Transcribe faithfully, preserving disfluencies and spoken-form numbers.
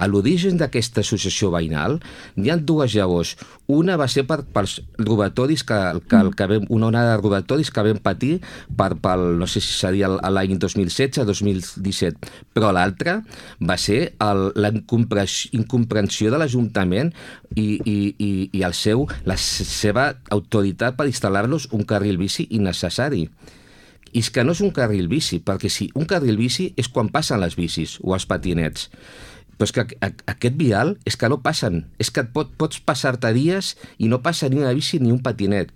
A l'origen d'aquesta associació veïnal n'hi ha dues llavors. Una va ser per, pels robatoris que, que, que vam, una onada de robatoris que vam patir per, pel, no sé si seria l'any dos mil setze dos mil disset, però l'altra va ser el, la incomprensió de l'Ajuntament i, i, i, i el seu, la seva autoritat per instal·lar-los un carril bici innecessari. I és que no és un carril bici, perquè si un carril bici és quan passen les bicis o els patinets. Però és que aquest vial és que no passen, és que et pot, pots passar-te dies i no passa ni una bici ni un patinet.